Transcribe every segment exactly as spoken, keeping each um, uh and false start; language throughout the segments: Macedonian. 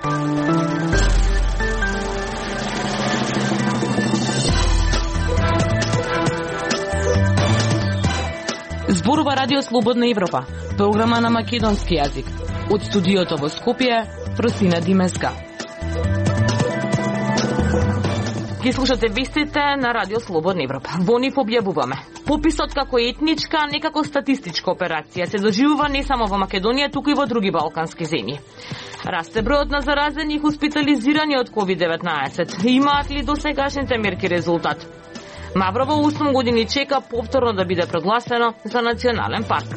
Зборува Радио Слободна Европа, програма на македонски јазик. Од студиото во Скопје, Просина Димеска. Ги слушате вестите на Радио Слободна Европа. Во нив објавуваме: пописот како етничка, а не како статистичка операција се доживува не само во Македонија, туку и во други балкански земји. Расте бројот на заразени и хоспитализирани од ковид деветнаесет. Имаат ли досегашните мерки резултат? Маврово осум години чека повторно да биде прогласено за национален парк.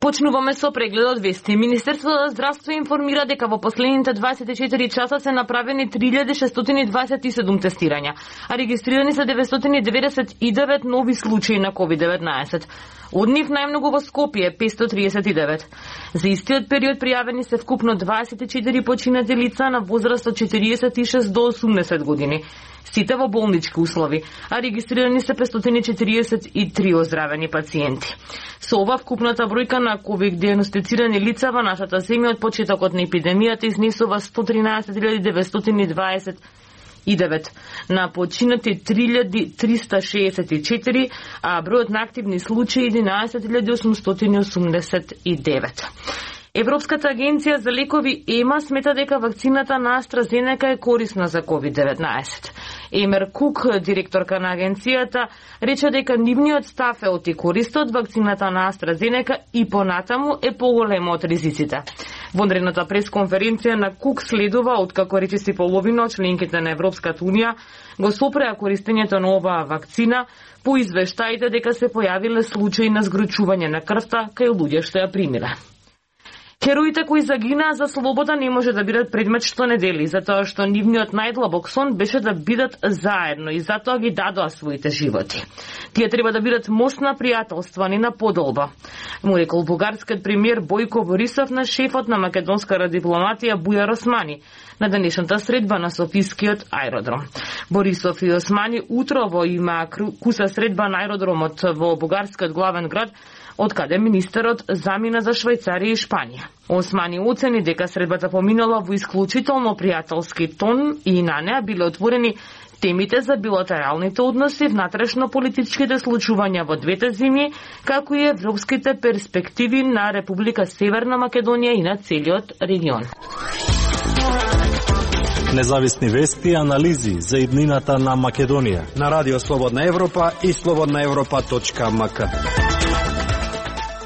Почнуваме со прегледот вести. Министерството за здравство информира дека во последните дваесет и четири часа се направени три илјади шестстотини и дваесет и седум тестирања, а регистрирани се деветстотини деведесет и девет нови случаи на ковид деветнаесет. Од нив најмногу во Скопје петстотини триесет и девет. За истиот период пријавени се вкупно дваесет и четири починати лица на возраст од четириесет и шест до осумдесет години. Сите во болнички услови, а регистрирани се петстотини четириесет и три оздравени пациенти. Со ова вкупната бројка на ковид дијагностицирани лица во нашата земја од почетокот на епидемијата изнесува сто тринаесет илјади деветстотини и дваесет и девет на починати три илјади триста шеесет и четири, а бројот на активни случаи единаесет илјади осумстотини осумдесет и девет. Европската агенција за лекови ЕМА смета дека вакцината на AstraZeneca е корисна за ковид деветнаесет. Емер Кук, директорка на агенцијата, рече дека нивниот став е оти користа од вакцината на AstraZeneca и понатаму е поголема од ризиците. Вонредната пресконференција на Кук следува откако речиси половина од членките на Европската унија го сопреа користењето на оваа вакцина по извештаите дека се појавиле случаи на згрчување на крвта кај луѓе што ја примиле. Хероите кои загинаа за слобода не може да бидат предмет што не дели, затоа што нивниот најдлабок сон беше да бидат заедно и затоа ги дадоа своите животи. Тие треба да бидат мостна пријателства, не на подолба, му рекол бугарскиот премиер Бојко Борисов на шефот на македонската дипломатија Бујар Османи на денешната средба на Софискиот аеродром. Борисов и Османи утрово има куса средба на аеродромот во бугарскиот главен град, од каде министерот замина за Швајцарија и Шпанија. Османи оцени дека средбата поминала во исклучително пријателски тон и на неа биле отворени темите за билатералните односи, внатрешно-политичките случувања во двете земји, како и европските перспективи на Република Северна Македонија и на целиот регион. Независни вести и анализи за иднината на Македонија на Радио Слободна Европа и слободна европа точка ем ка.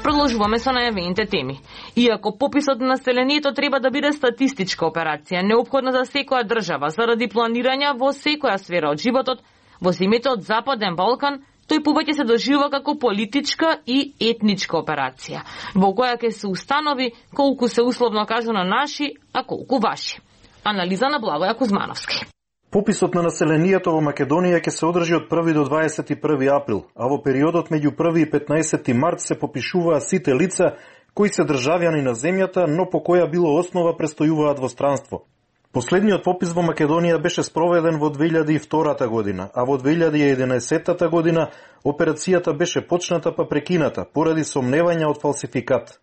Продолжуваме со најавените теми. Иако пописот на населението треба да биде статистичка операција, неопходна за секоја држава заради планирање во секоја сфера од животот, во земјите од Западен Балкан, тој повеќе се доживува како политичка и етничка операција, во која ќе се установи колку се условно кажано наши, а колку ваши. Анализа на Благоја Кузмановски. Пописот на населението во Македонија ќе се одржи од први до дваесет и први април, а во периодот меѓу први и петнаесети март се попишуваат сите лица кои се државјани на земјата, но по која било основа престојуваат во странство. Последниот попис во Македонија беше спроведен во две илјади и втора година, а во две илјади и единаесетта година операцијата беше почната па прекината поради сомневања од фалсификат.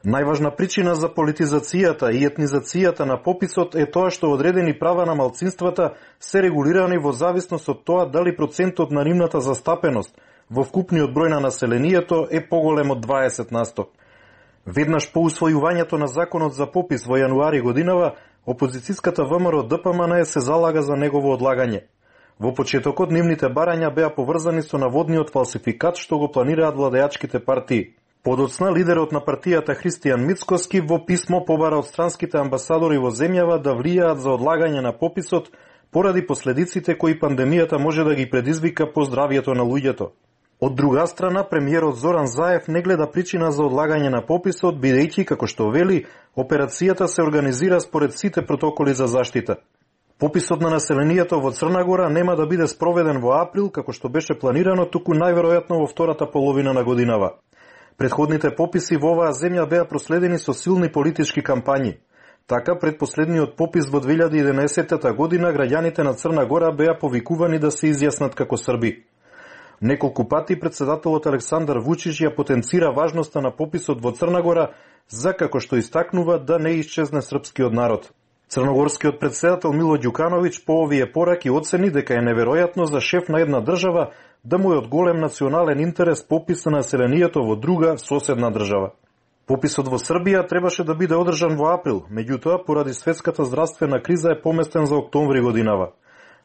Најважна причина за политизацијата и етнизацијата на пописот е тоа што одредени права на малцинствата се регулирани во зависност од тоа дали процентот на нивната застапеност во вкупниот број на населението е поголем од дваесет на сто. Веднаш по усвојувањето на законот за попис во јануари годинава, опозицијската ВМРО Д П М Н се залага за негово одлагање. Во почетокот нивните барања беа поврзани со наводниот фалсификат што го планираат владеачките партии. Подоцна лидерот на партијата Христијан Мицкоски во писмо побара од странските амбасадори во земјава да влијаат за одлагање на пописот поради последиците кои пандемијата може да ги предизвика по здравјето на луѓето. Од друга страна, премиерот Зоран Заев не гледа причина за одлагање на пописот, бидејќи, како што вели, операцијата се организира според сите протоколи за заштита. Пописот на населението во Црна Гора нема да биде спроведен во април, како што беше планирано, туку најверојатно во втората половина на годинава. Предходните пописи во оваа земја беа проследени со силни политички кампањи. Така, пред последниот попис во две илјади и единаесетта година, граѓаните на Црна Гора беа повикувани да се изјаснат како срби. Неколку пати председателот Александар Вучич ја потенцира важноста на пописот во Црна Гора, за како што истакнува да не исчезне српскиот народ. Црногорскиот претседател Мило Ѓукановиќ по овие пораки оцени дека е неверојатно за шеф на една држава да му е од голем национален интерес попис на населението во друга соседна држава. Пописот во Србија требаше да биде одржан во април, меѓутоа поради светската здравствена криза е поместен за октомври годинава.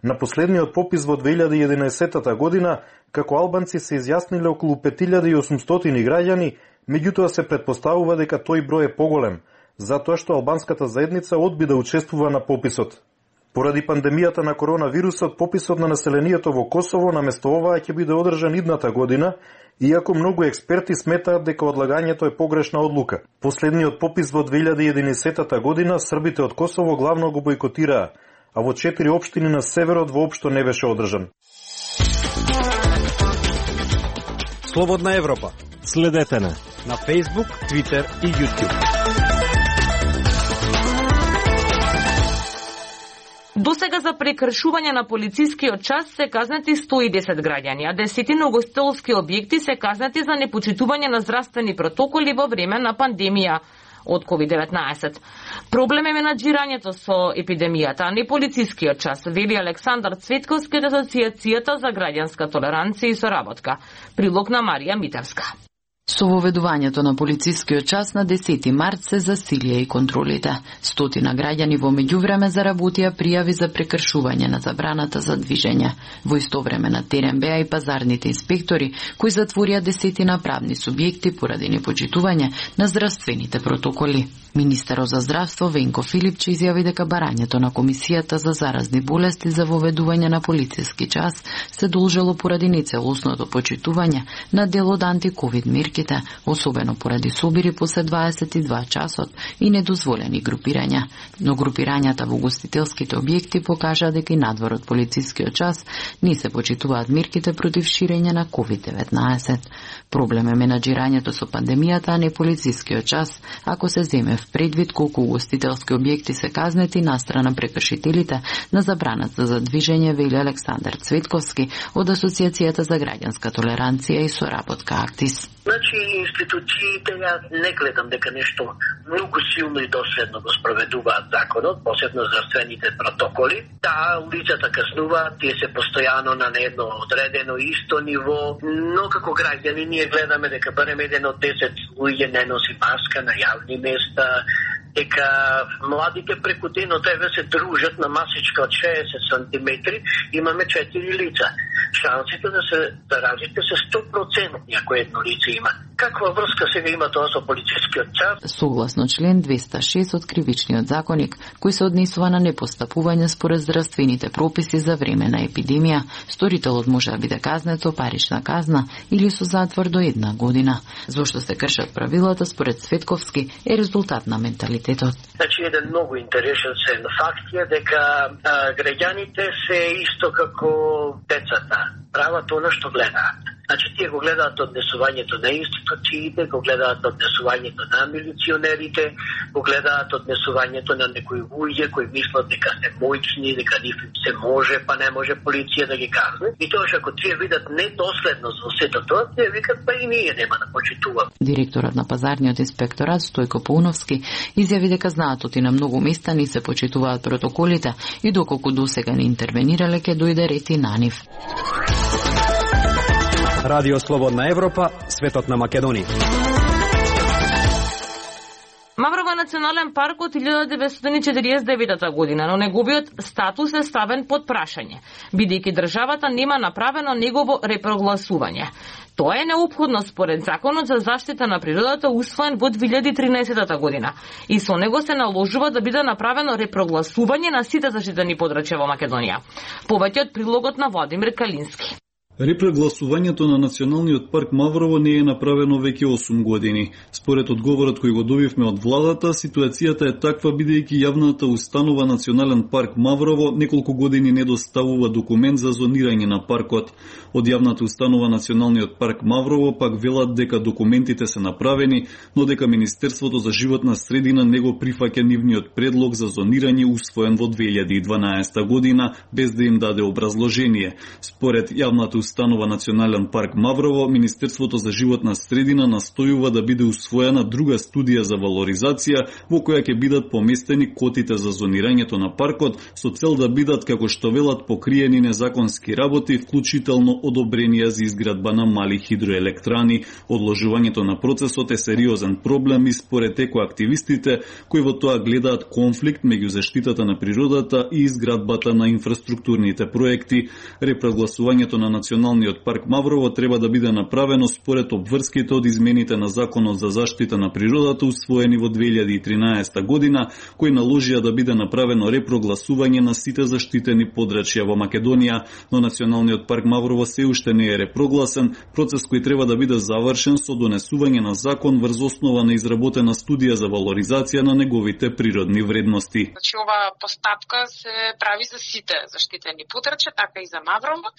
На последниот попис во две илјади и единаесетта година, како албанци се изјасниле околу пет илјади и осумстотини граѓани, меѓутоа се претпоставува дека тој број е поголем, затоа што албанската заедница одби да учествува на пописот. Поради пандемијата на коронавирусот, пописот на населението во Косово наместо оваа ќе биде одржан идната година, иако многу експерти сметаат дека одлагањето е погрешна одлука. Последниот попис во две илјади и единаесетта година србите од Косово главно го бойкотираа, а во четири општини на северот воопшто не беше одржан. Слободна Европа. Следете на на Facebook, Twitter и YouTube. Досега за прекршување на полицискиот час се казнати сто и десет граѓани, а десетина угостителски објекти се казнати за непочитување на здравствени протоколи во време на пандемија од ковид деветнаесет. Проблем е менаџирањето со епидемијата, а не полицискиот час, вели Александар Цветковски од Асоциацијата за граѓанска толеранција и соработка. Прилог на Марија Митевска. Со воведувањето на полицискиот час на десети март се засилија и контролите. Стотина граѓани во меѓувреме заработија пријави за прекршување на забраната за движење. Во исто време на терен беа и пазарните инспектори, кои затворија десетина правни субјекти поради непочитување на здравствените протоколи. Министерот за здравство Венко Филипче изјави дека барањето на Комисијата за заразни болести за воведување на полициски час се должело поради нецелосното почитување на дел од антиковид мерките, особено поради собири после дваесет и два часот и недозволени групирања. Но групирањата во угостителските објекти покажа дека и надвор од полицискиот час не се почитуваат мерките против ширење на ковид деветнаесет. Проблем е менаџирањето со пандемијата, а не полицискиот час, ако се земе в предвид колку угостителски објекти се казнети настрана прекршителите на забраната за движење, вели Александар Цветковски од Асоциацијата за граѓанска толеранција и соработка Актис. Значи, институциите, ја не гледам дека нешто многу силно и доследно го спроведуваат законот, посебно здравствените протоколи. Да, улицата казнуваат, тие се постојано на едно одредено исто ниво, но како граѓани ние гледаме дека барем еден од десет луѓе не носи маска на јавни места, дека младите преку денот еве се дружат на масичка од шеесет сантиметри, имаме четири лица. Шансите да се заразите се сто проценти ако едно лице има. Каква врска сега има тоа со полицискиот час? Согласно член двеста и шест од Кривичниот законник, кој се однесува на непостапување според здравствените прописи за време на епидемија, сторителот може да биде казнет со парична казна или со затвор до една година. Зошто се кршат правилата, според Цветковски, е резултат на менталитетот. Значи, еден многу интересен факт е дека а, граѓаните се исто како децата, прават она што гледаат. Значи, тие го гледаат однесувањето на институциите, го гледаат однесувањето на милиционерите, го гледаат однесувањето на некои луѓе кои мислат дека се моćни, дека нив се може, па не може полиција да ги казне. И тоа што ако тие видат недоследност во сето тоа, тие викат па и ние нема да почитуваме. Директорот на пазарниот инспекторат Стојко Пауновски изјави дека знаат оти на многу места не се почитуваат протоколите и доколку досега не интервенирале ќе дојде ред и на нив. Радио Слободна Европа, светот на Македонија. Маврово е национален парк од илјада деветстотини и четиридесет и девета година, но неговиот статус е ставен под прашање, бидејќи државата нема направено негово репрогласување. Тоа е неопходно според Законот за заштита на природата усвоен во две илјади и тринаесетта година и со него се наложува да биде направено репрогласување на сите заштитени подрачја во Македонија. Повеќе од прилогот на Владимир Калински. Репрегласувањето на Националниот парк Маврово не е направено веќе осум години. Според одговорот кој го добивме од владата, ситуацијата е таква бидејќи јавната установа Национален парк Маврово неколку години не доставува документ за зонирање на паркот. Од јавната установа Националниот парк Маврово пак велат дека документите се направени, но дека Министерството за животна средина не го прифаќа нивниот предлог за зонирање усвоен во две илјади и дванаесетта година без да им даде образложение. Според јавната установа Национален парк Маврово, Министерството за животна средина настојува да биде усвоена друга студија за валоризација во која ќе бидат поместени котите за зонирањето на паркот со цел да бидат, како што велат, покриени незаконски работи, вклучително одобренија за изградба на мали хидроелектрани. Одложувањето на процесот е сериозен проблем и според екоактивистите кои во тоа гледаат конфликт меѓу заштитата на природата и изградбата на инфраструктурните проекти. Репрогласувањето на Националниот парк Маврово треба да биде направено според обврските од измените на Законот за заштита на природата усвоени во две илјади и тринаесетта година, кои наложија да биде направено репрогласување на сите заштитени подрачја во Македонија, но Националниот парк Маврово се уште не е репрогласен, процес кој треба да биде завршен со донесување на закон врз основа на изработена студија за валоризација на неговите природни вредности. Значи, ова постапка се прави за сите заштитени подрачја, така и за Маврово.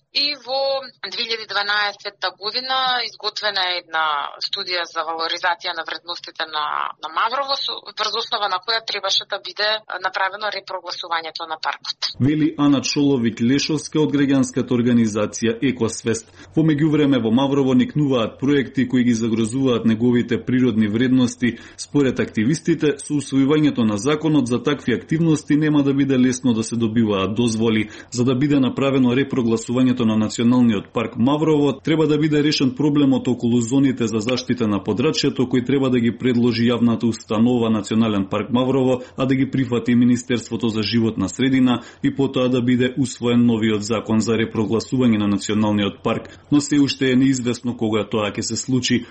И во две илјади и дванаесетта година изготвена е една студија за валоризација на вредностите на, на Маврово, врз основа на која требаше да биде направено репрогласувањето на паркот. Вели Ана Чоловиќ-Лешовска од граѓанската организација Екосвест. Во меѓувреме во Маврово никнуваат проекти кои ги загрозуваат неговите природни вредности. Според активистите, со усвојувањето на законот за такви активности нема да биде лесно да се добиваат дозволи. За да биде направено репрогласувањето на Националниот парк Маврово, треба да биде решен проблемот околу зоните за заштита на подрачјето кој треба да ги предложи јавната установа Национален парк Маврово, а да ги прифати Министерството за животна средина и потоа да биде усвоен новиот закон за репрогласување на Националниот парк, но се уште е неизвестно кога тоа ќе се случи.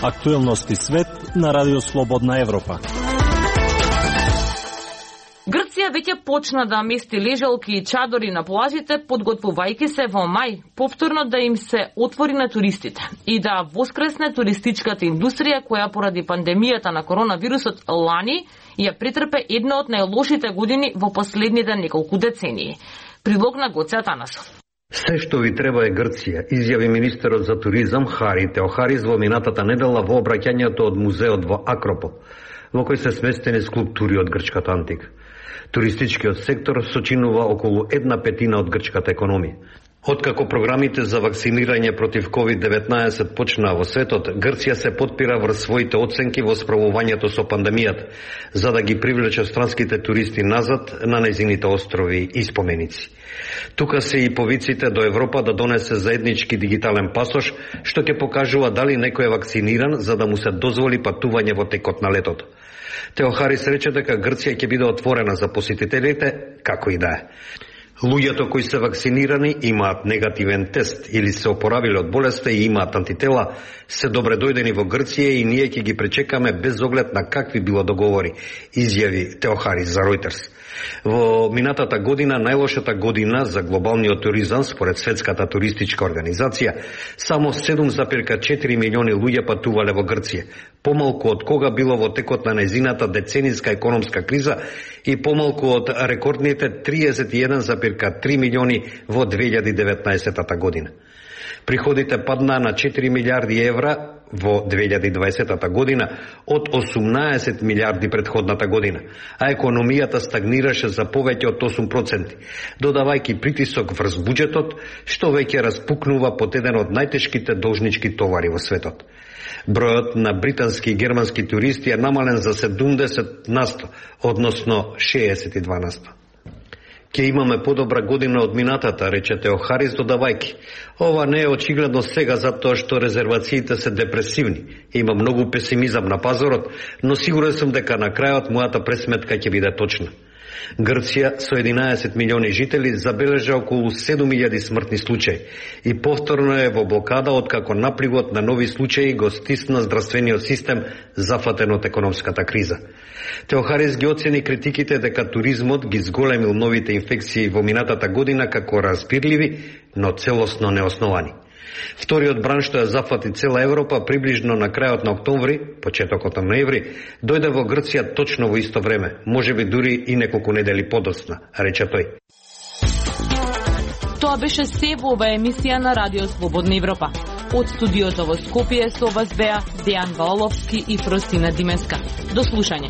Актуелности свет на Радио Слободна Европа. Грција веќе почна да мести лежалки и чадори на плажите, подготвувајќи се во мај повторно да им се отвори на туристите и да воскресне туристичката индустрија која поради пандемијата на коронавирусот лани ја претрпе една од најлошите години во последните неколку децении. Прилог на Гоце Атанасов. Се што ви треба е Грција, изјави министерот за туризам Хари Теохарис во минатата недела во обраќањето од музеот во Акропол, во кој се сместени скулптури од грчката антика. Туристичкиот сектор сочинува околу една петина од грчката економија. Откако програмите за вакцинирање против ковид деветнаесет почнаа во светот, Грција се потпира врз своите оценки во справувањето со пандемијата, за да ги привлече странските туристи назад на нејзините острови и споменици. Тука се и повиците до Европа да донесе заеднички дигитален пасош, што ќе покажува дали некој е вакциниран за да му се дозволи патување во текот на летото. Теохарис рече дека Грција ќе биде отворена за посетителите, како и да е. Луѓето кои се вакцинирани имаат негативен тест или се опоравиле од болеста и имаат антитела, се добре дојдени во Грција и ние ќе ги пречекаме без оглед на какви било договори, изјави Теохарис за Ројтерс. Во минатата година, најлошата година за глобалниот туризам според Светската туристичка организација, само седум зарез четири милиони луѓе патувале во Грција, помалку од кога било во текот на нејзината децениска економска криза и помалку од рекордните триесет и еден зарез три милиони во две илјади и деветнаесетта година. Приходите паднаа на четири милиарди евра во две илјади и дваесетта година од осумнаесет милиарди претходната година, а економијата стагнираше за повеќе од осум проценти, додавајќи притисок врз буџетот, што веќе распукнува под еден од најтешките должнички товари во светот. Бројот на британски и германски туристи е намален за седумдесет насто, односно шеесет и два насто. Ке имаме подобра година од минатата, рече Теохарис додавајки. Ова не е очигледно сега затоа што резервациите се депресивни. Има многу песимизам на пазарот, но сигурен сум дека на крајот мојата пресметка ќе биде точна. Грција со единаесет милиони жители забележа околу седум илјади смртни случаи и повторно е во блокада откако напливот на нови случаи го стисна здравствениот систем зафатен од економската криза. Теохарис ги оцени критиките дека туризмот ги зголемил новите инфекции во минатата година како разбирливи, но целосно неосновани. Вториот бран што ја зафати цела Европа приближно на крајот на октомври, почетокот на ноември, дојде во Грција точно во исто време, можеби дури и неколку недели подоцна, рече тој. Тоа беше се во оваа емисија на Радио Слободна Европа. Од студиото во Скопје со вас беа Дејан Валовски и Фростина Димеска. До слушање.